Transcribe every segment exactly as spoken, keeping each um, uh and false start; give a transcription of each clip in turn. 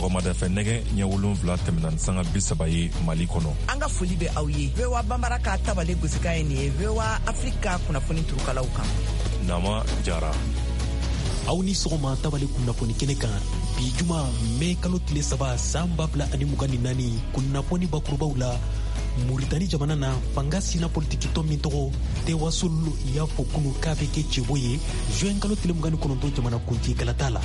Sɔgɔmada fɛ nɛgɛ ɲɛ wolonwula tɛmɛna ni sanga bi saba ye Mali kɔnɔ. An ka foli bɛ aw ye. V O A Bambara ka tabale gosikan ye nin ye V O A Afrika kunnafoni turukalaw kan. Nama Jara. Aw ni sɔgɔma tabale kunnafoni kɛnɛ kan bi juma mɛ kalo tile saba san ba fila ani mugan ni naani kunnafoni bakurubaw la. Muritani jamana na fanga sina politikitɔn min tɔgɔ Tewasul y'a fɔ kunu k'a bɛ kɛ cɛbɔ ye juin kalo tile mugan ni kɔnɔntɔn jamana kuntigi kalata la.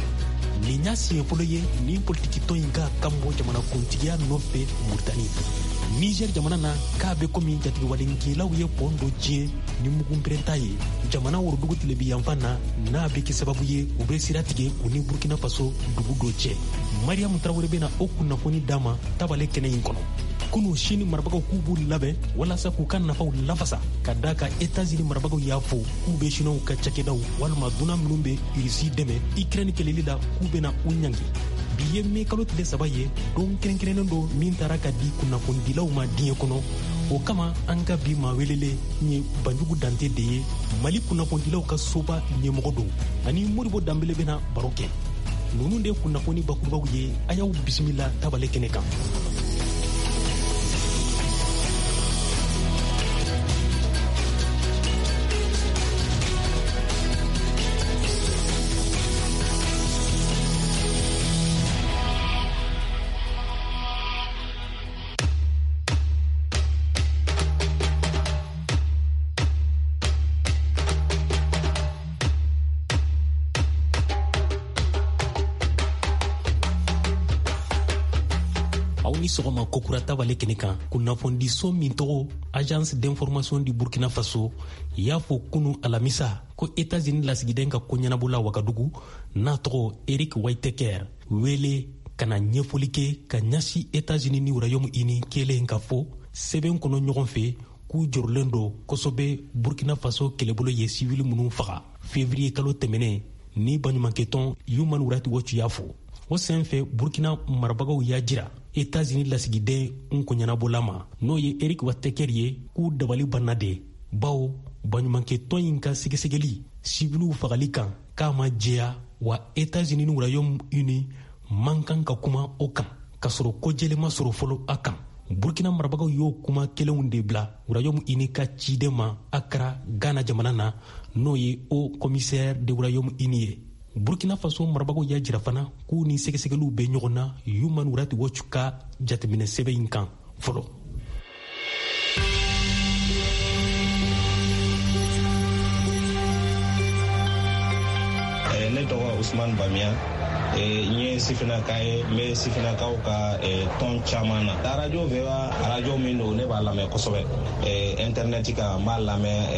Nin y'a siɲɛ fɔlɔ ye nin politikitɔn in ka kan bɔ jamana kuntigiya nɔfɛ Muritani. Niger jamana na k'a bɛ komi jatigɛwalenkɛlaw ye pɔn dɔ tiɲɛ ni mugunpɛrɛnta ye jamana worodugu tilebi yanfan na, n'a bɛ kɛ sababu ye u bɛ sira tigɛ u ni Burkina Faso dugu dɔ cɛ. Mariyamu Tarawele bɛna o kunnafoni d'a ma tabale kɛnɛ in kɔnɔ. Kunu Sini marabagaw k'u b'u labɛn walasa k'u ka nafaw lafasa ka da kan Etats-Unis marabagaw y'a fɔ k'u bɛ Siniwaw ka cakɛdaw walima dunan minnu bɛ Irisi dɛmɛ Ukraine kɛlɛli la k'u bɛna u ɲangi. Bi ye mɛ kalo tile saba ye, don kɛrɛnkɛrɛnnen don min taara ka di kunnafonidilaw ma diɲɛ kɔnɔ. O kama an ka bi maa welelen ye Banjugu Dante de ye, Mali kunnafonidilaw ka soba ɲɛmɔgɔ don, ani Modibo Danbele bɛna baro kɛ. Ninnu de kunnafoni bakurubaw ye, a y'aw bisimila tabale kɛnɛ kan. Sɔgɔma kokura tabale kɛnɛ kan kunnafonidiso min tɔgɔ Agence d'information du Burkina Faso y'a fɔ kunu alamisa ko Etats-Unis lasigiden ka ko ɲɛnabɔla Wagadugu n'a tɔgɔ Eric Whitaker wele ka na ɲɛfɔli kɛ ka ɲɛsin Etats-Unis ni Royaume-Uni kelen ka fɔ sɛbɛn kɔnɔ ɲɔgɔn fɛ k'u jɔrɔlen don kosɛbɛ Burkina Faso kɛlɛbolo ye sivili minnu faga février kalo tɛmɛnen ni baɲumankɛtɔn Human Rights Watch y'a fɔ. O senfɛ Burkina marabagaw y'a jira Etats-Unis lasigiden nkoɲɛnabɔla ma n'o ye Eric Whitaker ye k'u dabali banna de, bawo baɲumankɛtɔn in ka sɛgɛsɛgɛli sibiliw fagali kan k'a ma jɛya, wa Etats-Unis ni Royaume-Uni man kan ka kuma o kan k'a sɔrɔ ko jɛlen ma sɔrɔ fɔlɔ a kan. Burkina marabagaw y'o kuma kelenw de bila Royaume-Uni ka ciden ma Accra, Ghana jamana na, n'o ye haut commissaire de Royaume-Uni ye. Burkina Faso marabagaw y'a jira fana k'u ni sɛgɛsɛgɛliw bɛ ɲɔgɔn na Human Rights Watch ka jateminɛ sɛbɛn in kan fɔlɔ. Ne tɔgɔ Usman Bamiya, n ye sifinnaka ye, n bɛ sifinnakaw ka tɔn caman na. Radio V O A radio min don, ne b'a lamɛn kosɛbɛ internet kan, n b'a lamɛn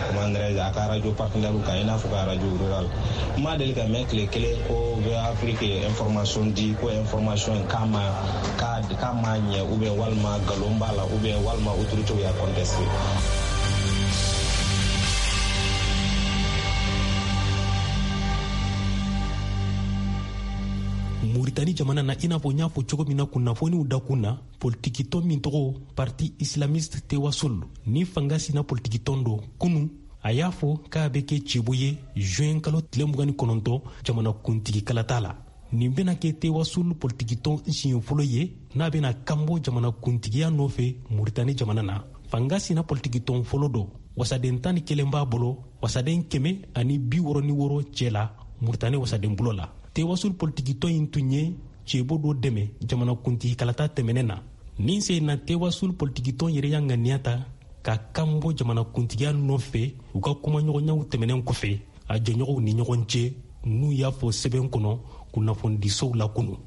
comment dirais-je a ka radio partenaire kan, i n'a fɔ ka radio rural. N ma deli ka mɛn tile kelen ko V O A Afrique ye information di ko information in k'a ma k'a ma ɲɛ ou bien walima nkalon b'a la ou bien walima autorité y'a contesté. Muritani jamana na, i n'a fɔ n y'a fɔ cogo min na kunnafoniw dakun na, politikitɔn min tɔgɔ Parti Islamiste Tewasul ni fanga sina politikitɔn don, kunu a y'a fɔ k'a bɛ kɛ cɛbɔ ye juin kalo tile mugan ni kɔnɔntɔn jamana kuntigi kalata la. Nin bɛna kɛ Tewasul politikitɔn siɲɛ fɔlɔ ye n'a bɛna kanbɔ jamana kuntigiya nɔfɛ Muritani jamana na. Fanga sina politikitɔn fɔlɔ don, wasaden tan ni kelen b'a bolo, wasaden kɛmɛ ani bi wɔɔrɔ ni wɔɔrɔ cɛ la Muritani wasaden bolo la. Tewasul politikitɔn in tun ye cɛbɔ dɔ dɛmɛ jamanakuntigi kalata tɛmɛnen na. Nin sen na Tewasul politikitɔn yɛrɛ y'a ŋaniya ta ka kan bɔ jamanakuntigiya nɔfɛ u ka kumaɲɔgɔnyaw tɛmɛnen kɔfɛ a jɛɲɔgɔnw ni ɲɔgɔn cɛ, n'u y'a fɔ sɛbɛn kɔnɔ kunnafonidisow la kunu.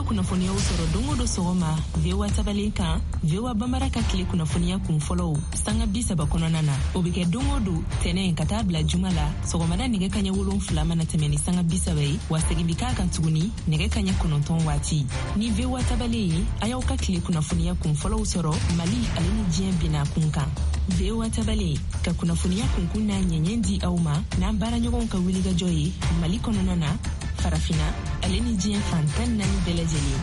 Kunnafoniyaw sɔrɔ don o don sɔgɔma V O A tabale kan, V O A Bambara ka tile kunnafoniya kun fɔlɔw sanga bi saba kɔnɔna na. O bɛ kɛ don o don tɛnɛn ka taa bila juma la sɔgɔmada nɛgɛ kaɲɛ wolonfila mana tɛmɛ ni sanga bi saba ye, wa segin bɛ k'a kan tuguni nɛgɛ kaɲɛ kɔnɔntɔn waati. Ni V O A tabale ye, a y'aw ka tile kunnafoniya kun fɔlɔw sɔrɔ Mali ale ni diɲɛ bina kun kan. V O A tabale ka kunnafoniya kunkun n'a ɲɛɲɛ di aw ma n'an baaraɲɔgɔnw ka wulikajɔ ye Mali kɔnɔna na, Farafina ale ni diɲɛ fan tan naani bɛɛ lajɛlen.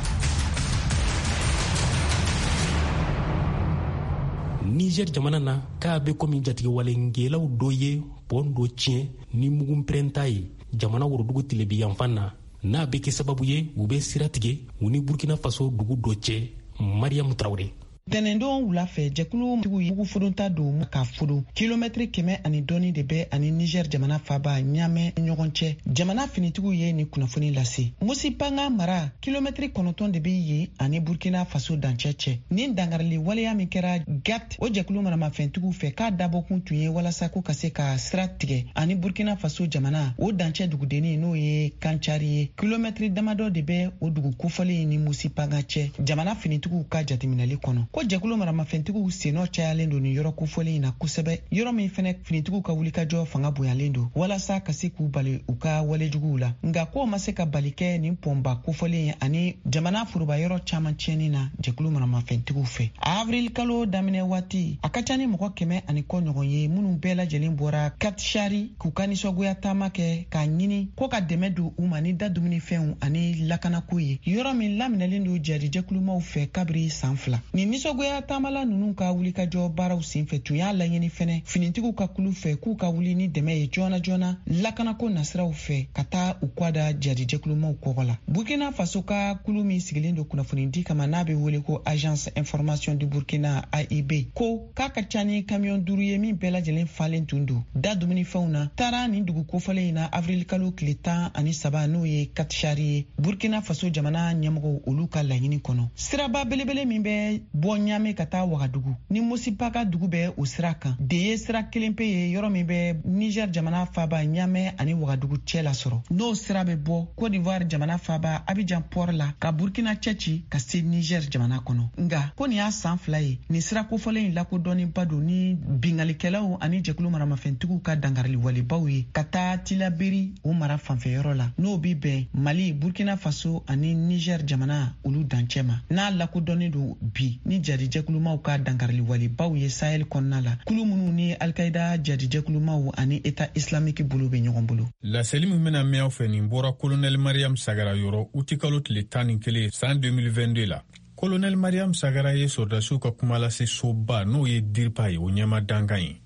Niger jamana na, k'a bɛ komi jatigɛwalenkɛlaw dɔ ye pɔn dɔ tiɲɛ ni mugu pɛrɛnta ye jamana worodugu tilebi yanfan na, n'a bɛ kɛ sababu ye u bɛ sira tigɛ u ni Burkina Faso dugu dɔ cɛ. Mariyamu Tarawele. Tɛnɛndon wula fɛ, jɛkulu tigiw ye mugu fodonta don ka fodon kilomɛtiri kɛmɛ ani dɔɔni de bɛ ani Niger jamana faba Ɲamɛ ɲɔgɔn cɛ. Jamana finitigiw ye nin kunnafoni lase. Musipanga mara kilomɛtiri kɔnɔntɔn de bɛ yen ani Burkina Faso dancɛ cɛ. Nin dangarili waleya min kɛra G A T, o jɛkulu maramafɛntigiw fɛ, k'a dabɔkun tun ye walasa ko ka se ka sira tigɛ ani Burkina Faso jamana o dancɛ dugudennin, n'o ye Kancari ye. Kilomɛtiri damadɔ de bɛ o dugu kofɔlen ni Musipanga cɛ. Jamana finitigiw ka jateminɛli kɔnɔ, ko jɛkulu maramafɛntigiw sennɔ cayalen don nin yɔrɔ kofɔlen in na kosɛbɛ, yɔrɔ min fɛnɛ finitigiw ka wulikajɔ fanga bonyalen don walasa ka se k'u bali u ka walejuguw la. Nka k'o ma se ka bali kɛ nin pɔnba kofɔlen ani jamana foroba yɔrɔ caman tiɲɛni na jɛkulu maramafɛntigiw fɛ. Avril kalo daminɛ waati, a ka ca ni mɔgɔ kɛmɛ ani kɔ ɲɔgɔn ye minnu bɛɛ lajɛlen bɔra Katshari k'u ka nisɔngoya taama kɛ k'a ɲini ko ka dɛmɛ don u ma ni da dumunifɛnw ani lakanako ye, yɔrɔ min laminɛlen don jadijɛkulumaw fɛ kabiri san fila. Nin nisɔngoya taamala ninnu ka wulikajɔ baaraw senfɛ tun y'a laɲini fɛnɛ finitigiw ka kulu fɛ k'u ka wuli ni dɛmɛ ye joona joona lakanako nasiraw fɛ ka taa u kɔ da jadijɛkulumaw kɔgɔ la. Burkina Faso ka kulu min sigilen don kunnafonidi kama, n'a bɛ wele ko Agence Information du Burkina, A I B, ko k'a ka ca ni kamiyɔn duuru ye min bɛɛ lajɛlen falen tun don da dumunifɛnw na, taara nin dugu kofɔlen in na avril kalo tile tan ani saba, n'o ye Katishari ye. Burkina Faso jamana ɲɛmɔgɔw, olu ka laɲini kɔnɔ, siraba belebele min bɛ bɔ Ɲame ka taa Wagadugu ni Mosipaka dugu bɛ o sira kan de ye sira kelen pe ye, yɔrɔ min bɛ Niger jamana faba Ɲamɛ ani Wagadugu cɛ lasɔrɔ, n'o sira bɛ bɔ Cote d'Ivoire jamana faba Abidjan port la ka Burkina cɛci ka se Niger jamana kɔnɔ. Nga ko nin y'a san fila ye nin sira kofɔlen in lakodɔnnenba don ni bingalikɛlaw ani jɛkulu maramafɛntigiw ka dangarili walebaw ye ka taa Tilaberi o mara fanfɛyɔrɔ la, n'o bi bɛn Mali, Burkina Faso ani Niger jamana olu dancɛ ma, n'a lakodɔnnen don bi ni jadijɛkulumaw ka dangarili walebaw ye Sahel kɔnɔna la, kulu minnu ni Alkaida jadijɛkulumaw ani État islamique bolo bɛ ɲɔgɔn bolo. Laseli min bɛna mɛn aw fɛ, nin bɔra Kolonɛli Mariam Sagara yɔrɔ utikalo tile tan ni kelen san deux mille vingt-deux la. Kolonɛli Mariam Sagara ye sɔrɔdasiw ka kumalase soba, n'o ye DIRPA ye, o ɲɛma dankan ye.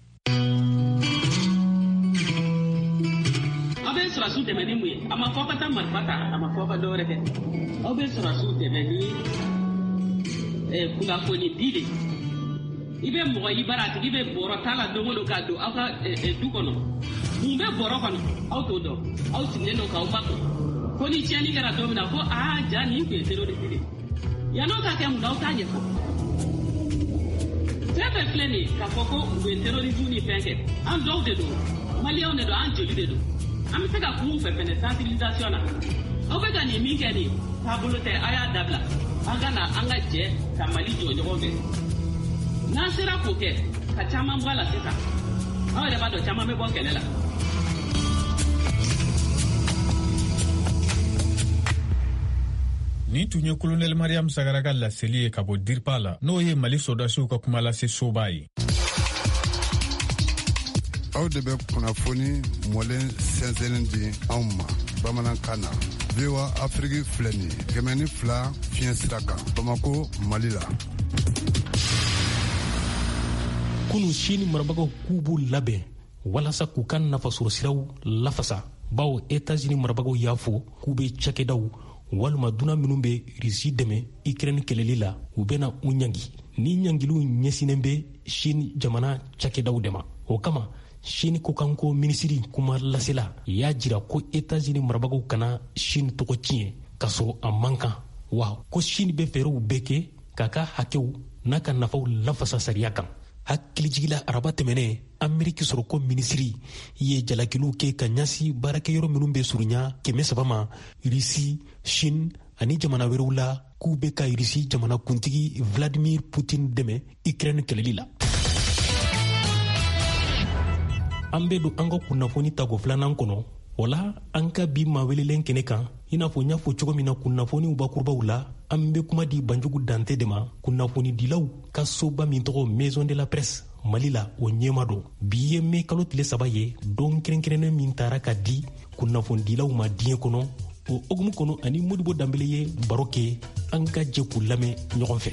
Aw bɛ sɔrɔsiw dɛmɛ ni mun ye? A ma fɔ ka taa marifa ta, a ma fɔ ka dɔwɛrɛ kɛ. Aw bɛ sɔrɔsiw dɛmɛ ni kunnafoni di de. I bɛ mɔgɔ i bara, a tigi bɛ bɔrɔ ta la don o don ka don aw ka du kɔnɔ. Mun bɛ bɔrɔ kɔnɔ, aw t'o dɔn. Aw sigilen don k'aw makun ko ni tiɲɛni kɛra don min na, ko aa, ja nin tun ye terroriste de ye. Yann'o ka kɛ, mun na aw t'a ɲɛfɔ? Fɛn fɛn filɛ nin ye k'a fɔ ko u bɛ terrorisme ni fɛn kɛ, an dɔw de don, maliyɛnw de don, an joli de don. An bɛ se ka kun fɛ fɛnɛ sensibilisation na. Aw bɛ ka nin min kɛ, nin taabolo tɛ, a y'a dabila. An ka na an ka jɛ ka Mali jɔ ɲɔgɔn fɛ. N'an sera k'o kɛ ka caman bɔ a la sisan, aw yɛrɛ b'a dɔn caman bɛ bɔ kɛlɛ la. Nin tun ye Kolonɛli Mariam Sagara ka laseli ye ka bɔ DIRPA la, n'o ye Mali sɔrɔdasiw ka kumalase soba ye. Aw de bɛ kunnafoni mɔlen sɛnsɛnnin di anw ma bamanankan na. V O A Afiriki filɛ nin ye, kɛmɛ ni fila fiɲɛ sira kan, Bamako, Mali la. Kunu, Sini marabagaw k'u b'u labɛn walasa k'u ka nafasɔrɔ siraw lafasa, bawo Etats-Unis marabagaw y'a fɔ k'u be cakɛdaw walima dunan minw be Risi dɛmɛ Ukraine kɛlɛli la, u bena u ɲangi. Ni ɲangiliw ɲɛsinen be Sini jamana cakɛdaw de ma. O kama, Sini kokanko minisiri kuma lasela y'a jira ko Etats-Unis marabagaw kana Sini tɔgɔ tiɲɛ k'a sɔrɔ a man kan, wa ko Sini bɛ fɛɛrɛw bɛɛ kɛ k'a ka hakɛw n'a ka nafaw lafasa sariya kan. Hakilijigila, araba tɛmɛnɛ, Ameriki sɔrɔko minisiri ye jalakiliw kɛ ka ɲɛsi baarakɛyɔrɔ minw bɛ surunya kɛmɛ saba ma Risi, Chine ani jamana wɛrɛw la, k'u bɛ ka Risi jamanakuntigi Vladimir Putin dɛmɛ Ukraine kɛlɛli la. An be don an ka kunnafoni tago filanan kɔnɔ. O la, an ka bi maa welelen kɛnɛ kan, i n'a fɔ n y'a fɔ cogo min na kunnafoniw bakurubaw la, an be kuma di Banjugu Dante de ma, kunnafonidilaw ka soba min tɔgɔ Maison de la Presse Mali la, o ɲɛma don. Bi ye mɛ kalo tile saba ye, don kɛrɛnkɛrɛnnen min tara ka di kunnafonidilaw ma diɲɛ kɔnɔ. O hokumu kɔnɔ, ani Modibo Danbele ye baro kɛ. An ka jɛ k'u lamɛn ɲɔgɔn fɛ.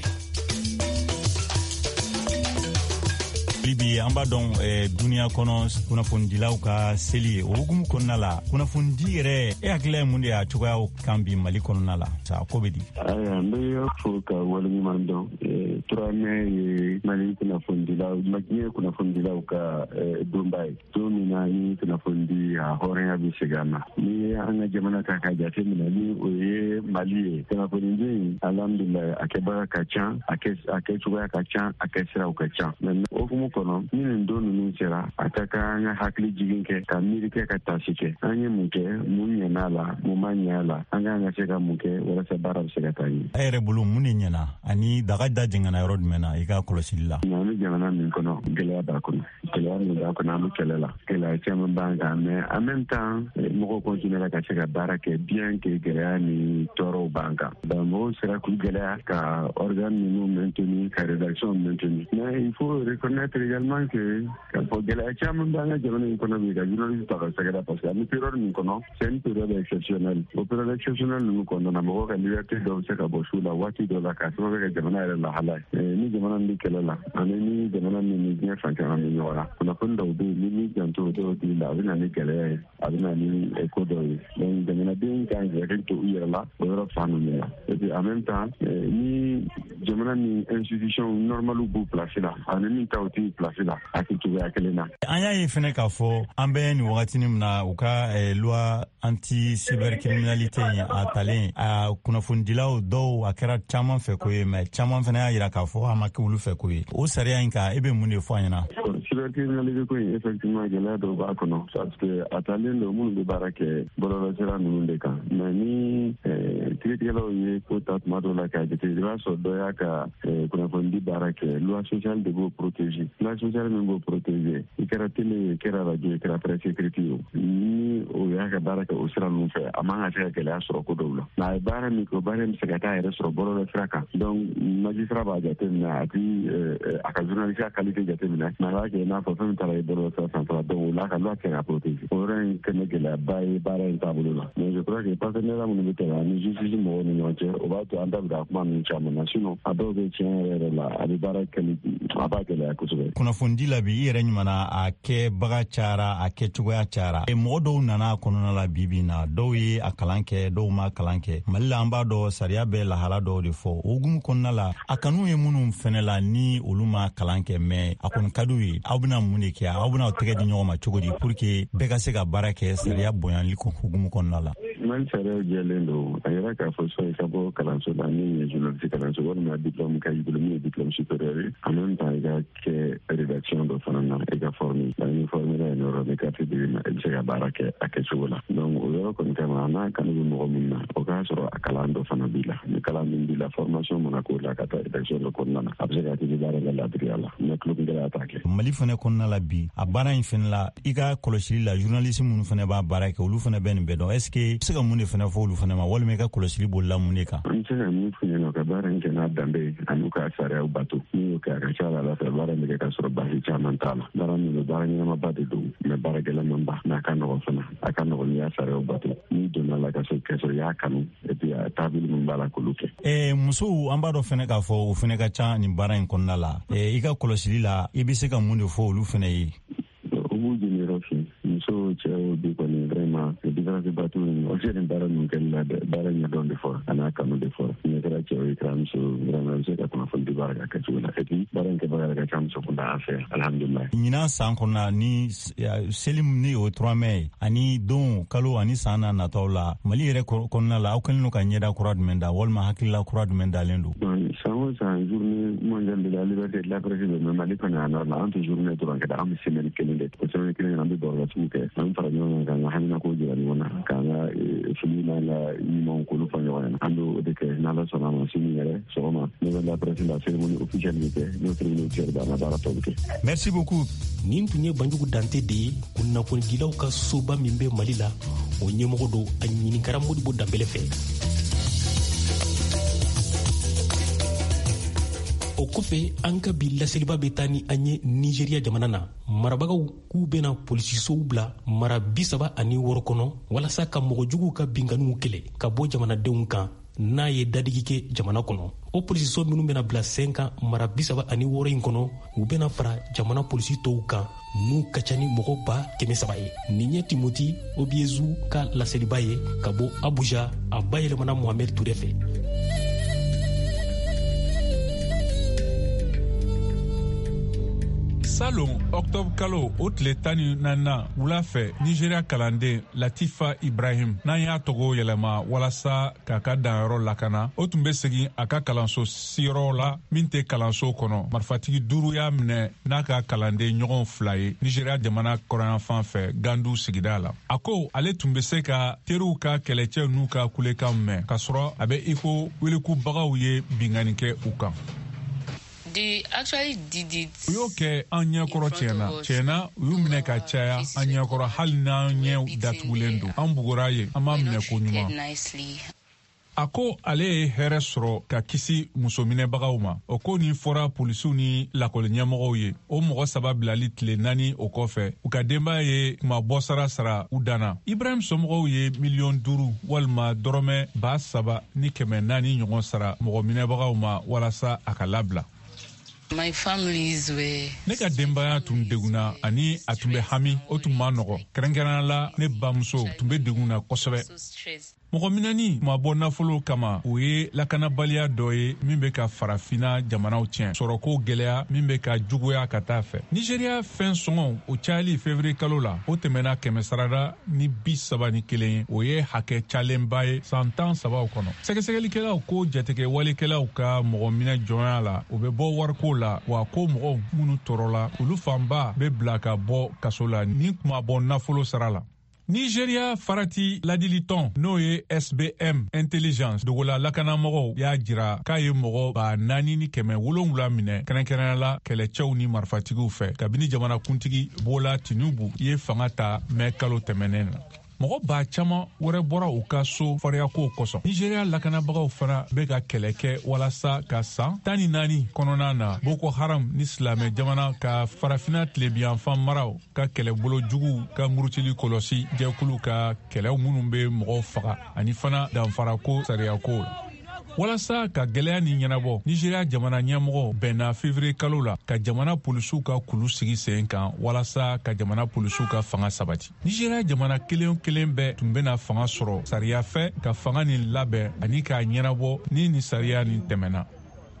Bi an b'a dɔn eh, duniya kɔnɔ kunnafonidilaw ka seli ye. O hukumu kɔnɔna la, kunnafonidi yɛrɛ, e hakilila ye mun de y'a cogoyaw kan bi Mali kɔnɔna la, sa ko bɛ di? Ayiwa, n bɛ fo ka waleɲuman dɔn. Trois mai ye Mali kunnafonidilaw, diɲɛ kunnafonidilaw ka donba ye, don min na ni kunnafonidi a hɔrɔnya bɛ segin a ma. N'i ye an ka jamana ta k'a jate minɛ, ni o ye Mali ye, kunnafonidi, alhamdulilayi, a kɛbaga ka ca, a kɛcogoya ka ca, a kɛsiraw ka ca. Mais o hukumu kɔnɔ, ni nin don ninnu sera, a ka kan an ka hakili jigin kɛ, ka miiri kɛ, ka tasi kɛ. An ye mun kɛ, mun ɲɛna a la, mun ma ɲɛ a la, an kan ka se ka mun kɛ walasa baara bɛ se ka taa ɲɛ. E yɛrɛ bolo, mun de ɲɛna ani daga da jɛngɛnna yɔrɔ jumɛn na i ka kɔlɔsili la? An bɛ jamana min kɔnɔ, gɛlɛya b'a kɔnɔ, gɛlɛya min b'a kɔnɔ, an bɛ kɛlɛ la, gɛlɛya caman b'an kan. Mais en même temps, mɔgɔw continuera ka se ka baara kɛ bien que gɛlɛya ni tɔɔrɔw b'an kan. Donc mɔgɔw sera k'u gɛlɛya ka organe ninnu maintenir, ka rédaction maintenir. Mais il faut reconnaître également que k'a fɔ gɛlɛya caman b'an ka jamana in kɔnɔ bi ka journaliste ta ka sɛgɛrɛ, parce que an bɛ période min kɔnɔ, c'est une période exceptionnelle. O période exceptionnelle ninnu kɔnɔna na, mɔgɔw ka liberté dɔw bɛ se ka bɔ su la waati dɔ la, k'a sababu kɛ jamana yɛrɛ lahala ye. Ni jamana min bɛ kɛlɛ la, ani ni jamana min ni diɲɛ fan caman bɛ ɲɔgɔn na, kunnafoni dɔw bɛ yen, ni m'i janto o dɔw tigi la, a bɛ na ni gɛlɛya ye, a bɛ na ni ko dɔw ye. Donc jamanadenw kan k'i hakili to u yɛrɛ la o yɔrɔ fan ninnu na. Et puis en même temps, ni jamana ni institution normale b'u place la, ani min taw t'u place la, a tɛ cogoya kelen na. An y'a ye fɛnɛ k'a fɔ an bɛ nin wagatinin min na, u ka loi anti cybercriminalité in a talen, a kunnafonidilaw dɔw, a kɛra caman fɛ ko ye, mais caman fɛnɛ y'a yira k'a fɔ a ma kɛ olu fɛ ko ye. O sariya in kan, e bɛ mun de fɔ an ɲɛna? Cybercriminalité ko in, effectivement, gɛlɛya dɔw b'a kɔnɔ, parce que a talen don minnu bɛ baara kɛ bɔlɔlɔsira ninnu de kan. Mais ni kiiritigɛlaw ye ko ta tuma dɔw la k'a jate, i b'a sɔrɔ dɔ y'a ka kunnafonidi baara kɛ, loi sociale de b'o protéger. Loi sociale min b'o protéger, i kɛra télé ye, i kɛra radio ye, i kɛra presse écrite ye, ni o y'a ka baara kɛ o sira ninnu fɛ, a man ka se ka gɛlɛya sɔrɔ ko dɔw la. Mais a ye baara min kɛ, o baara in bɛ se ka taa yɛrɛ sɔrɔ bɔlɔlɔsira kan. Donc magistrat b'a jateminɛ, a ti a ka journaliste qualité jateminɛ, mais a b'a kɛ i n'a fɔ fɛn min taara ye bɔlɔlɔsira sanfɛla. Donc o la, ka loi kɛ ka protéger, o yɔrɔ in kɛ gɛlɛyaba ye baara in taabolo la. Mais je crois que partenariat minnu bɛ tɛmɛ ani justice mɔgɔw ni ɲɔgɔn cɛ, o b'a to an da bɛ ka kuma ninnu caman na. Sinon a dɔw bɛ tiɲɛ yɛrɛ yɛrɛ la, a bɛ baara kɛli, a b'a gɛlɛya kosɛbɛ. Kunnafonidi la bi, i yɛrɛ ɲumanna, a kɛbaga cayara, a kɛcogoya cayara. Mɔgɔ dɔw nana a kɔnɔna la bi bi na, dɔw ye a kalan kɛ, dɔw ma kalan kɛ. Mali la, an b'a dɔn sariya bɛ lahala dɔw de fɔ. O hukumu kɔnɔna la, a kanu ye minnu fɛnɛ la, ni olu ma kalan kɛ, mais a kɔni ka d'u ye, aw bɛna mun de kɛ? Aw bɛna aw tɛgɛ di ɲɔgɔn ma cogo di pour que bɛɛ ka se ka baara kɛ sariya bonyali hukumu kɔnɔna la? Mali sariyaw jɛlen don. A yɛrɛ k'a fɔ soit i ka bɔ kalanso la min ye journaliste kalanso, walima diplôme ka y'i bolo min ye diplôme supérieur ye, en même temps i ka kɛ rédaction dɔ fana na, i ka former. Donc ni former la yen yɔrɔ, ni carte dir'i ma, i bɛ se ka baara kɛ a kɛcogo la. Donc o yɔrɔ kɔni kama, n'a kanu bɛ mɔgɔ min na, o k'a sɔrɔ a kalan dɔ fana b'i la. Ni kalan min b'i la, formation mana k'o la ka taa rédaction dɔ kɔnɔna na, a bɛ se ka kɛ i bɛ baara kɛ ladiriya la, mais tulonkɛla t'a kɛ. Mali fɛnɛ kɔnɔna la bi, a baara in fɛnɛ la, i ka kɔlɔsili la, journaliste minnu fɛnɛ b'a baara kɛ, olu fɛnɛ bɛ nin bɛɛ dɔn. Est ce que i bɛ se ka mun de fɛnɛ fɔ olu fɛnɛ ma, walima i ka kɔlɔsili bolila mun de kan? An bɛ se ka min f'u ɲɛna, ka baara in kɛ n'a danbe ye, ani ka sariyaw bato. N'i y'o kɛ, a ka ca la ala fɛ, baara in bɛ kɛ ka sɔrɔ baasi caman t'a la. Baara min don, baara ɲɛnamaba de don, mais baara gɛlɛnmanba, mais a ka nɔgɔn fana. A ka nɔgɔn n'i y'a sariyaw bato, n'i donna la ka sɔrɔ ka sɔrɔ i y'a kanu, et puis a taabolo min b'a la, k'olu kɛ. Ɛɛ musow, an b'a dɔn fɛnɛ k'a fɔ o fɛnɛ ka ca nin baara in kɔnɔna la. I ka kɔlɔsili la, i bɛ se ka mun de fɔ olu fɛnɛ ye? U b'u jeniyɔrɔ fin, musow, cɛw bi kɔni, vraiment différence ba t'u ni ɲɔgɔn cɛ nin baara ninnu kɛli la dɛ. Baara ɲɛdɔn de fɔra, a n'a kanu de fɔra. N'i kɛra cɛw ye, kɛra muso, vraiment i bɛ se ka kunnafoni di baara ka kɛcogo la. Et puis baara in kɛbaga yɛrɛ ka ca muso kunda an fɛ yan, alhamdulilayi. Ɲinan san kɔnɔna ni seli ni o trois mai ani don kalo ani san na nataw la, Mali yɛrɛ kɔnɔna la, aw kɛlen don ka ɲɛda kura jumɛn da, walima hakilila kura jumɛn dalen don? San o san, journée mondiale de la liberté de la presse bɛ, mais Mali kɔni yan nɔ la, an tɛ journée dɔrɔn kɛ dɛ, an bɛ semaine kelen de. O semaine kelen an bɛ baro kɛ, an bɛ fara ɲɔgɔn kan k'an ka haminako jira ɲɔgɔn na, k'an ka fili n'an ka ɲumanw k'olu fɔ ɲɔgɔn ɲɛna. An b'o de kɛ n'Ala sɔnna a ma. Sini yɛrɛ sɔgɔma, maison de la presse la, cérémonie officielle bɛ kɛ. N'o cérémonie officielle bɛ, an ka baara tɔ bɛ kɛ. Merci beaucoup. Nin tun ye Banjugu Dante de ye, kunnafonidilaw ka soba min bɛ Mali la, o ɲɛmɔgɔ don. A ɲininkara Modibo Danbɛlɛ fɛ. O kɔfɛ, an ka bi laseliba bɛ taa ni an ye Nizeriya jamana na. Marabagaw k'u bɛna polisisow bila mara bi saba ani wɔɔrɔ kɔnɔ walasa ka mɔgɔ juguw ka binkanniw kɛlɛ ka bɔ jamanadenw kan. n'a ye dadigi kɛ jamana kɔnɔ. O polisiso minnu bɛna bila sen kan mara bi saba ani wɔɔrɔ in kɔnɔ, u bɛna fara jamana polisi tɔw kan n'u ka ca ni mɔgɔ ba kɛmɛ saba ye. Nin ye Timothy Obiezu ka laseliba ye ka bɔ Abuja, a bayɛlɛmana Mohamed Toure fɛ. Salon octobre kalo o tile tan ni naaninan wula fɛ, Nigeria kalanden Latifa Ibrahim, n'an y'a tɔgɔ yɛlɛma walasa k'a ka danyɔrɔ lakana, o tun bɛ segin a ka kalanso siyɔrɔ la min tɛ kalanso kɔnɔ. Marifatigi duuru y'a minɛ n'a ka kalanden ɲɔgɔn fila ye Nigeria jamana kɔrɔnyanfan fɛ Gandu sigida la. A ko ale tun bɛ se ka teriw ka kɛlɛcɛw n'u ka kulekan mɛn, k'a sɔrɔ a bɛ i ko welikubagaw ye binkanni kɛ u kan. U y'o kɛ an ɲɛkɔrɔ tiɲɛna tiɲɛna u y'u minɛ ka caya an ɲɛkɔrɔ, hali n'an ɲɛw datugulen don. An bugura yen, an m'a minɛ ko ɲuman. A ko ale ye hɛrɛ sɔrɔ ka kisi musominɛbagaw ma. O ko nin fɔra polisiw ni lakɔli ɲɛmɔgɔw ye. O mɔgɔ saba bilali tile naani o kɔfɛ, u ka denbaya ye kumabɔsara sara u danna. Ibrahim somɔgɔw ye miliyɔn duuru walima dɔrɔmɛ ba saba ni kɛmɛ naani ɲɔgɔn sara mɔgɔ minɛbagaw ma walasa a ka labila. Ne ka denbaya tun degunna ani a tun bɛ hami, o tun ma nɔgɔ. Kɛrɛnkɛrɛnnenya la, ne bamuso tun bɛ degun na kosɛbɛ. Mɔgɔ minɛni ma bɔ nafolo kama, o ye lakanabaliya dɔ ye min bɛ ka farafinna jamanaw tiɲɛ, sɔrɔko gɛlɛya min bɛ ka juguya ka taa fɛ. Nigeria fɛn sɔngɔw o cayali février kalo la, o tɛmɛna kɛmɛ sarada ni bi saba ni kelen ye, o ye hakɛ calenba ye san tan sabaw kɔnɔ. Sɛgɛsɛgɛlikɛlaw ko jatigɛ walekɛlaw ka mɔgɔ minɛ jɔnya la, o bɛ bɔ wariko la, wa ko mɔgɔw minnu tɔɔrɔla, olu fanba bɛ bila ka bɔ kaso la ni kuma bɔ nafolo sara la. Nigeria farati ladilitɔn n'o ye S B M Intelligence dogola lakanamɔgɔw y'a jira k'a ye mɔgɔ ba naani ni kɛmɛ wolonwula minɛ, kɛrɛnkɛrɛnnenya la kɛlɛcɛw ni marifatigiw fɛ, kabini jamanakuntigi Bola Tinubu ye fanga ta mɛ kalo tɛmɛnen na. Mɔgɔ ba caman wɛrɛ bɔra u ka so fariyakow kosɔn. Nigeria lakanabagaw fana bɛ ka kɛlɛ kɛ walasa ka san tan ni naani kɔnɔna na Boko Haram ni silamɛ jamana ka farafinna tilebiyanfan maraw ka kɛlɛbolo juguw ka murutili kɔlɔsi jɛkulu ka kɛlɛw minnu bɛ mɔgɔw faga ani fana danfarako sariyakow la. Walasa ka gɛlɛya ni ɲɛnabɔ, Nigeria jamana ɲɛmɔgɔ bɛnna février kalo la ka jamana polisiw ka kulu sigi sen kan walasa ka jamana polisiw ka fanga sabati. Nigeria jamana kelen kelen bɛɛ tun bɛna fanga sɔrɔ sariya fɛ ka fanga nin labɛn ani k'a ɲɛnabɔ ni nin sariya nin tɛmɛna.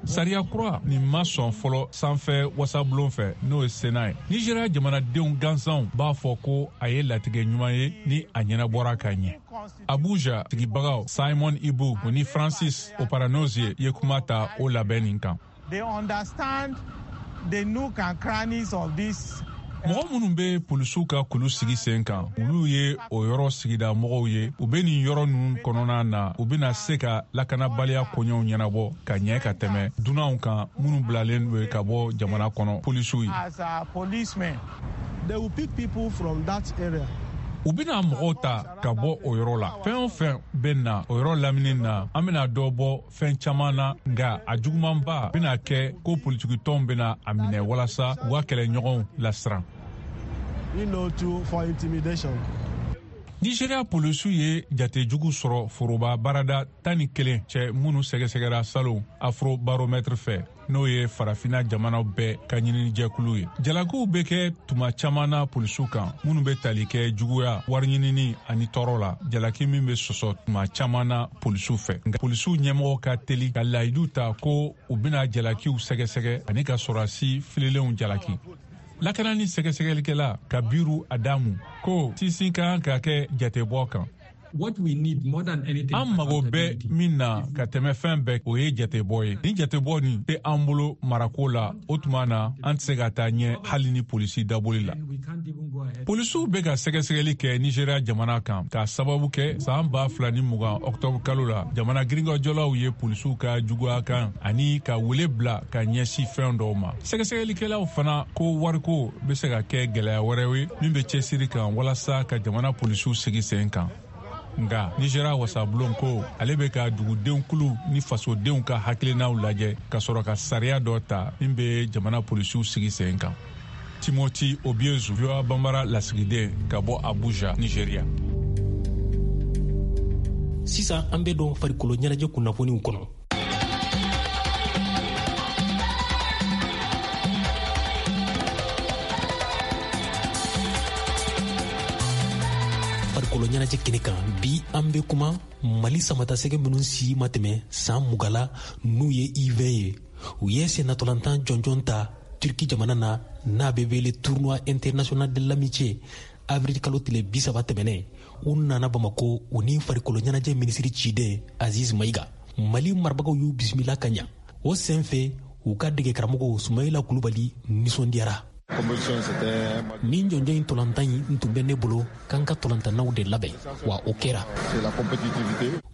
Sariya kura nin ma sɔn fɔlɔ sanfɛ wasabulon fɛ, n'o ye Sénat ye. Nigeria jamanadenw gansanw b'a fɔ ko a ye latigɛ ɲuman ye ni a ɲɛnabɔra ka ɲɛ. Abuja sigibagaw Simon Ibu ni Francis Oparanozie ye kuma ta o labɛn nin kan. They understand the nook and crannies of this. Mɔgɔ minnu bɛ polisiw ka kulu sigi sen kan, olu ye o yɔrɔ sigida mɔgɔw ye. U bɛ nin yɔrɔ ninnu kɔnɔna na, u bɛna se ka lakanabaliya koɲɛw ɲɛnabɔ ka ɲɛ ka tɛmɛ dunanw kan minnu bilalen don ka bɔ jamana kɔnɔ polisiw ye. They will pick people from that area. U bɛna mɔgɔw ta ka bɔ o yɔrɔ la. Fɛn o fɛn bɛ na o yɔrɔ lamini na, an bɛna dɔ bɔ fɛn caman na, nka a jugumanba bɛna kɛ ko politikitɔnw bɛna a minɛ walasa u ka kɛlɛɲɔgɔnw lasiran. You know, to, for intimidation. Nigeria polisiw ye jatejugu sɔrɔ foroba baarada tan ni kelen cɛ minnu sɛgɛsɛgɛra salon Afrobaromètre fɛ, n'o ye farafinna jamanaw bɛɛ ka ɲininijɛkulu ye. Jalakiw bɛ kɛ tuma caman na polisiw kan minnu bɛ tali kɛ juguya, wariɲinini ani tɔɔrɔ la, jalaki min bɛ sɔsɔ tuma caman na polisiw fɛ. Nka polisiw ɲɛmɔgɔ ka teli ka layidu ta ko u bɛna jalakiw sɛgɛsɛgɛ ani ka sɔrɔdasi fililenw jalaki. Lakanani sɛgɛsɛgɛlikɛla Kabiru Adamu ko sinsin ka kan ka kɛ jatebɔ kan. An mago bɛ min na ka tɛmɛ fɛn bɛɛ, o ye jatebɔ ye. Ni jatebɔ nin tɛ an bolo marako la, o tuma na an tɛ se ka taa ɲɛ hali ni polisi daboli la. Polisiw bɛ ka sɛgɛsɛgɛli kɛ Nigeria jamana kan k'a sababu kɛ san ba fila ni mugan octobre kalo la, jamana girinkajɔlaw ye polisiw ka juguya kan ani ka wele bila ka ɲɛsin fɛn dɔw ma. Sɛgɛsɛgɛlikɛlaw fana ko wariko bɛ se ka kɛ gɛlɛya wɛrɛ ye min bɛ cɛsiri kan walasa ka jamana polisiw sigi sen kan. Nka Nigeria wasabulon ko ale bɛ ka dugudenw kulu ni fasodenw ka hakilinaw lajɛ ka sɔrɔ ka sariya dɔ ta min bɛ jamana polisiw sigi sen kan. Timothy Obiezu, V O A Bambara lasigiden ka bɔ Abuja, Nigeria. Sisan an bɛ don farikolo ɲɛnajɛ kunnafoniw kɔnɔ. Farikolo ɲɛnajɛ kɛnɛ kan bi, an bɛ kuma Mali samatasɛgɛ minnu si ma tɛmɛ san mugan la, n'u ye U vingt ye. U ye sennatolantan jɔnjɔn ta Turki jamana na, n'a bɛ wele tournoi international de l'amitié, avril kalo tile bi saba tɛmɛnen. U nana Bamako, u ni farikolo ɲɛnajɛ minisiri ciden Aziz Mayiga. Mali marabagaw y'u bisimila ka ɲa. O senfɛ, u ka dege karamɔgɔ Sumayila Kulubali nisɔndiyara. Nin jɔnjɔn in tolantan in tun bɛ ne bolo k'an ka tolantannaw de labɛn, wa o kɛra.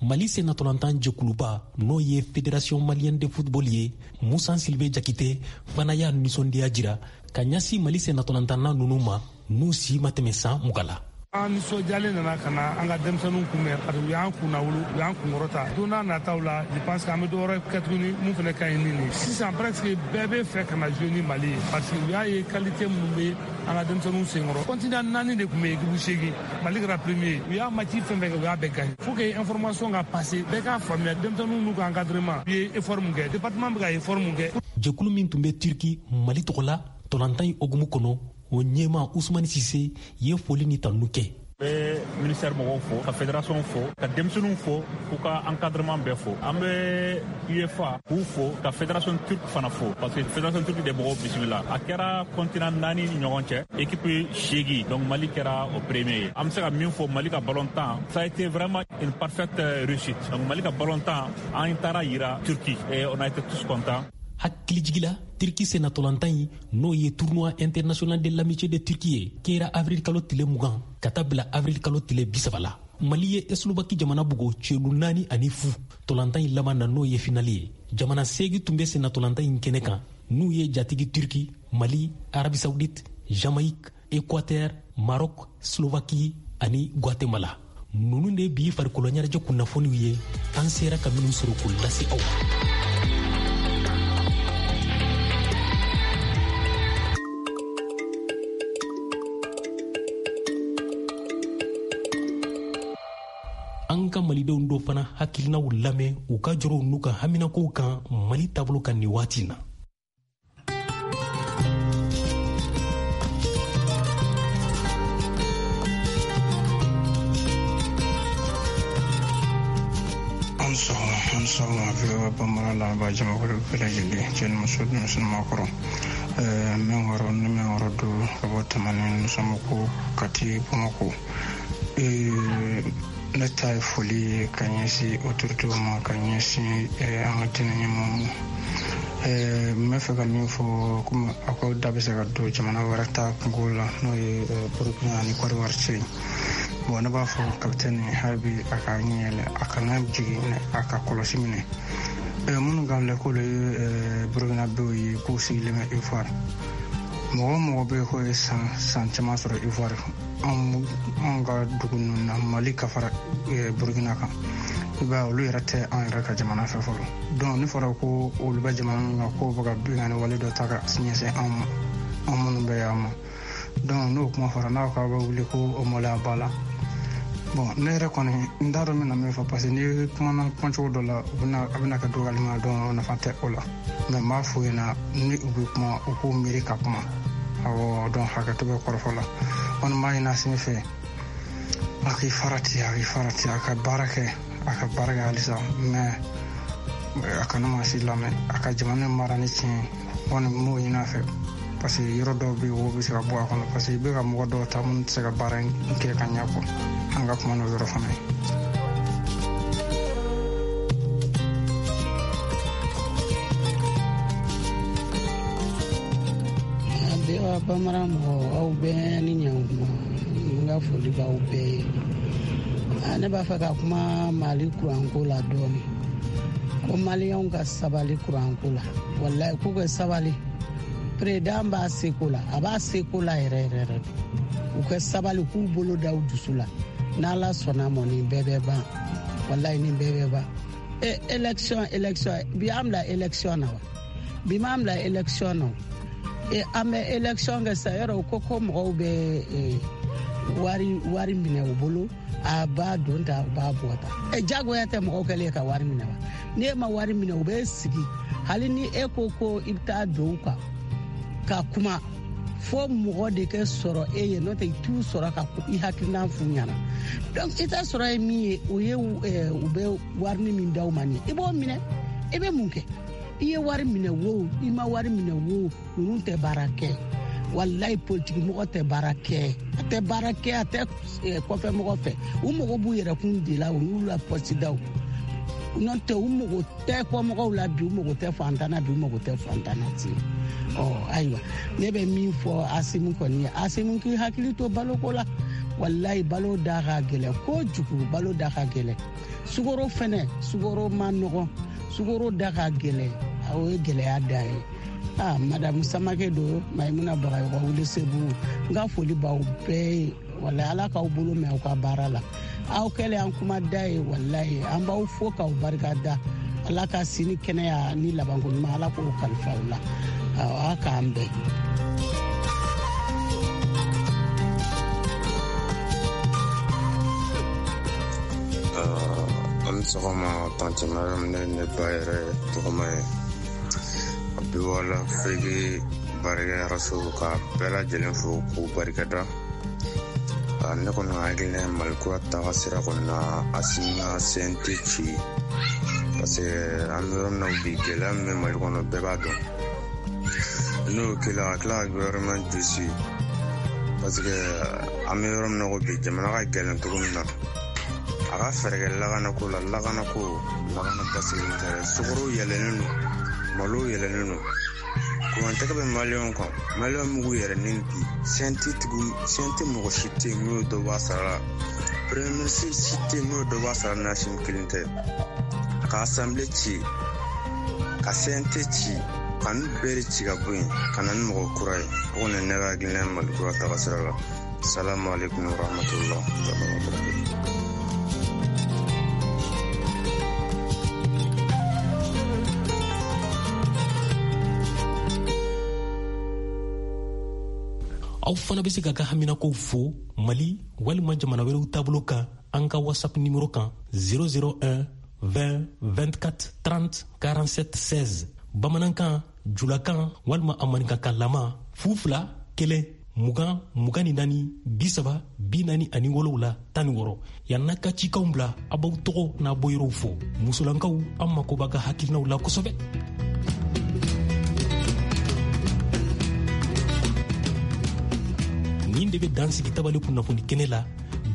Mali sennatolantan jɛkuluba, n'o ye Fédération malienne de football ye, Musa Silve Jakite fana y'a nisɔndiya jira ka ɲɛsin Mali sennatolantanna ninnu ma, n'u si ma tɛmɛ san mugan la. An nisɔndiyalen nana ka na an ka denmisɛnninw kunbɛn, parce que u y'an kunnawolo, u y'an kunkɔrɔta. Don n'a nataw la, je pense que an bɛ dɔ wɛrɛ kɛ tuguni mun fana ka ɲi ni nin ye. Sisan presque bɛɛ bɛ fɛ ka na jouer ni Mali ye, parce que u y'a ye qualité minnu bɛ an ka denmisɛnninw senkɔrɔ. Continent naani de tun bɛ équipe seegin, Mali kɛra premier. U y'a match fɛn fɛn kɛ, u y'a bɛɛ gagné. Faut que information ka passer, bɛɛ k'a faamuya denmisɛnninw n'u ka encadrement u ye effort mun kɛ, département bɛ ka effort mun kɛ. Jɛkulu min tun bɛ Turki Mali tɔgɔ la tolantan in hukumu kɔnɔ, o ɲɛma Usumani Sise ye foli ni tanu kɛ. N bɛ ministère mɔgɔw fo, ka fédération fo, ka denmisɛnninw fo, k'u ka encadrement bɛɛ fo. An bɛ UEFA k'u fo, ka fédération turque fana fo, parce que fédération turque de mɔgɔw bisimila. A kɛra continent naani ni ɲɔgɔn cɛ, équipe seegin, donc Mali kɛra o premier ye. An bɛ se ka min fɔ Mali ka ballon-tan, ça a été vraiment une parfaite réussite. Donc Mali ka ballon-tan, an taara yira Turquie et on a été tous contents. Hakilijigi la, Turki sennatolantan in, n'o ye tournoi international de l'amitié de Turki ye, kɛra avril kalo tile mugan ka taa bila avril kalo tile bi saba la. Mali ye Eslovaki jamana bugo celu naani ani fu tolantan in laban na, n'o ye finali ye. Jamana seegin tun bɛ sennatolantan in kɛnɛ kan, n'u ye jatigi Turki, Mali, Arabie Saoudite, Jamaïque, Équateur, Maroc, Slovaquie ani Guatemala. Ninnu de bi farikolo ɲɛnajɛ kunnafoniw ye, an sera ka minnu sɔrɔ k'u lase aw ma. An ka malidenw dɔ fana hakilinaw lamɛn u ka jɔrɔw n'u ka haminakow kan Mali taabolo kan nin waati na. An sɔgɔma, an sɔgɔma V O A Bambara lamɛnbaa jamakulu bɛɛ lajɛlen, cɛ ni muso, denmisɛnnin maakɔrɔ. Mɛ wɔɔrɔ ni mɛ wɔɔrɔ don ka bɔ Tamani Nusamuku Kati Bamakɔ. Ne ta ye foli ye ka ɲɛsin autorités ma, ka ɲɛsin an ka diinɛ ɲɛmɔgɔw ma. N bɛ fɛ ka min fɔ, komi aw ka da bɛ se ka don jamana wɛrɛ ta kungo la, n'o ye Burukina ani Côte d'Ivoire cɛ ye. Bon, ne b'a fɔ kapitɛni hali bi a ka ɲɛ yɛlɛ, a kana jigin, a ka kɔlɔsi minɛ. Minnu ka filɛ k'olu ye Burukinabew ye, k'u sigilen bɛ Ivoire. Mɔgɔ o mɔgɔ bɛ yen k'o ye san san caman sɔrɔ Ivoire, anw ka dugu ninnu na, Mali ka fara Burukina kan, i b'a ye olu yɛrɛ tɛ an yɛrɛ ka jamana fɛ fɔlɔ. Donc ne fɔra ko olu bɛ jamana min kan, k'o bɛ ka binkanni wale dɔ ta ka ɲɛsin anw ma, anw minnu bɛ yan ma. Donc n'o kuma fɔra, n'a ko k'aw bɛ wuli ko o maloya b'a la. Bon, ne yɛrɛ kɔni n t'a dɔn n bɛna min fɔ, parce que n'i kumana kumacogo dɔ la, u bɛna a bɛna kɛ dɔgɔyalima ye, donc nafa tɛ o la. Mais n b'a f'u ɲɛna, ni u bɛ kuma, u k'u miiri ka kuma. Awɔ, donc hakɛto bɛ kɔrɔfɔ la. Kɔni b'a ɲini Asimi fɛ, a k'i farati, a k'i farati, a ka baara kɛ, a ka baara kɛ halisa, mais a kana maa si lamɛn, a ka jamana mara ni tiɲɛ ye. Kɔni n b'o ɲini a fɛ, parce que yɔrɔ dɔw bɛ yen, wo bɛ se ka bɔ a kɔnɔ, parce que i bɛ ka mɔgɔ dɔw ta minnu tɛ se ka baara in kɛ ka ɲɛ kɔ. An ka kuma n'o yɔrɔ fana ye. V O A Bambara mɔgɔw, aw bɛɛ ni ɲankuma, n ka foli b'aw bɛɛ ye. Ne b'a fɛ ka kuma Mali kuranko la dɔɔni. Ko maliyɛnw ka sabali kuranko la, walayi k'u ka sabali. Président b'a seko la, a b'a seko la yɛrɛ yɛrɛ yɛrɛ. U ka sabali, k'u bolo da u dusu la. N'Ala sɔnna mɔ, nin bɛɛ bɛ ban. Walayi nin bɛɛ bɛ ban. E élection élection, bi an bila élection na wa? Bi m'an bila élection na. E an bɛ élection kɛ sisan, yɔrɔ ko ko mɔgɔw bɛ wari wari minɛ u bolo, a b'a don ta, u b'a bɔ ta. E jagoya tɛ mɔgɔw kɛlen ka wari minɛ wa? N'e ma wari minɛ, u bɛ sigi. Hali ni e ko ko i bɛ taa don u kan ka kuma, fo mɔgɔ de kɛ sɔrɔ e ye, n'o tɛ i t'u sɔrɔ ka i hakilina f'u ɲɛna. Donc i ta sɔrɔ ye min ye, o ye u bɛ warini min d'aw ma nin ye, i b'o minɛ. I bɛ mun kɛ? I ye wari minɛ wo, i ma wari minɛ wo, ninnu tɛ baara kɛ. Walayi politiki mɔgɔ tɛ baara kɛ, a tɛ baara kɛ, a tɛ kɔfɛ mɔgɔ fɛ. U mago b'u yɛrɛkun de la, u n'u la pɔsidaw. N'o tɛ u mago tɛ kɔmɔgɔw la bi, u mago tɛ fantan na bi, u mago tɛ fantan na ten. Ɔ ayiwa, ne bɛ min fɔ Asimu kɔni ye, Asimu k'i hakili to baloko la. Walayi balo da ka gɛlɛn kojugu, balo da ka gɛlɛn. Sukaro fɛnɛ, sukaro ma nɔgɔn, sukaro da ka gɛlɛn, o ye gɛlɛya dan ye. Ah, Madame Samake do, Maimuna Bagayɔgɔ wuli Segu, n ka foli b'aw bɛɛ ye. Walayi Ala k'aw bolo mɛn aw ka baara la. Aw kɛlen an kuma da ye, walayi an b'aw fo k'aw barika da. Ala ka sini kɛnɛya ni labanko ɲuman, Ala k'o kalifa aw la. Aw k'an bɛn. An ni sɔgɔma tante Mariam, ne ne ba yɛrɛ tɔgɔma ye. A bɛ wala Afiriki baarakɛyɔrɔso ka bɛɛ lajɛlen fo k'u barikada. Ne kɔni hakilina ye Mali kura taga sira kɔni na, Asimi ka C N T ci, parce que an bɛ yɔrɔ min na bi, gɛlɛya min bɛ Mali kɔnɔ bɛɛ b'a dɔn. N'o kɛla ka tila ka gouvernement gosi, parce que an bɛ yɔrɔ min na ko bi, jamana ka gɛlɛn cogo min na, a ka fɛɛrɛ kɛ lakanako la. Lakanako, lakana basigilen tɛ dɛ. Sukaro yɛlɛnnen don, malo yɛlɛnnen don, kurantɛgɛ bɛ maliyɛnw kan. Maliyɛnw m'u yɛrɛ ni bi C N T tigiw, C N T mɔgɔ si tɛ yen n'o ye dɔ bɔ a sara la. Premier ministre si tɛ yen n'o ye dɔ bɔ a sara la, n'Asimi kelen tɛ. A ka assemblée ci, ka C N T ci, ka ninnu bɛɛ de ci ka bɔ yen, ka na ni mɔgɔ kura ye. O kɔni ye ne ka hakilina ye Mali kura taga sira la. Salamu aleykum wa rahmatulah wa barakatuh. Aw fana bɛ se ka ka haminakow fo Mali walima jamana wɛrɛw taabolo kan an ka WhatsApp nimero kan zéro zéro un vingt vingt-quatre trente quarante-sept seize, bamanankan, julakan walima a maninkakan lama fu fila kelen mugan mugan ni naani bi saba bi naani ani wolowula tan ni wɔɔrɔ. Yan'a ka cikanw bila, a b'aw tɔgɔ n'a bɔyɔrɔw fɔ. Musolankaw, an mako b'a ka hakilinaw la kosɛbɛ. Nin de bɛ dan sigi tabali kunnafoni kɛnɛ la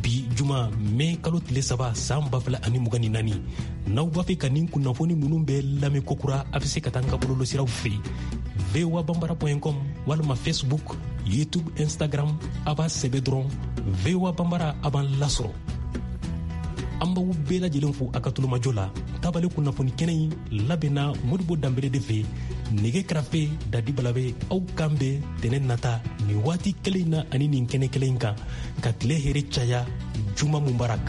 bi juma mɛ kalo tile saba san ba fila ani mugan ni naani. N'aw b'a fɛ ka nin kunnafoni ninnu bɛɛ lamɛn kokura, a bɛ se ka taa an ka bɔlɔlɔsiraw fɛ voa bambara point com walima Facebook, YouTube, Instagram. A b'a sɛbɛn dɔrɔn voa bambara, a b'an lasɔrɔ. An b'aw bɛɛ lajɛlen fo a ka tulomajɔ la. Tabali kunnafoni kɛnɛ in labɛnna Modibo Danbele de fɛ, nɛgɛ karafe Dadi Balabe. Aw kan bɛn tɛnɛ nata nin waati kelen in na ani nin kɛnɛ kelen in kan. Ka tile hɛrɛ caya. Juma mubarak.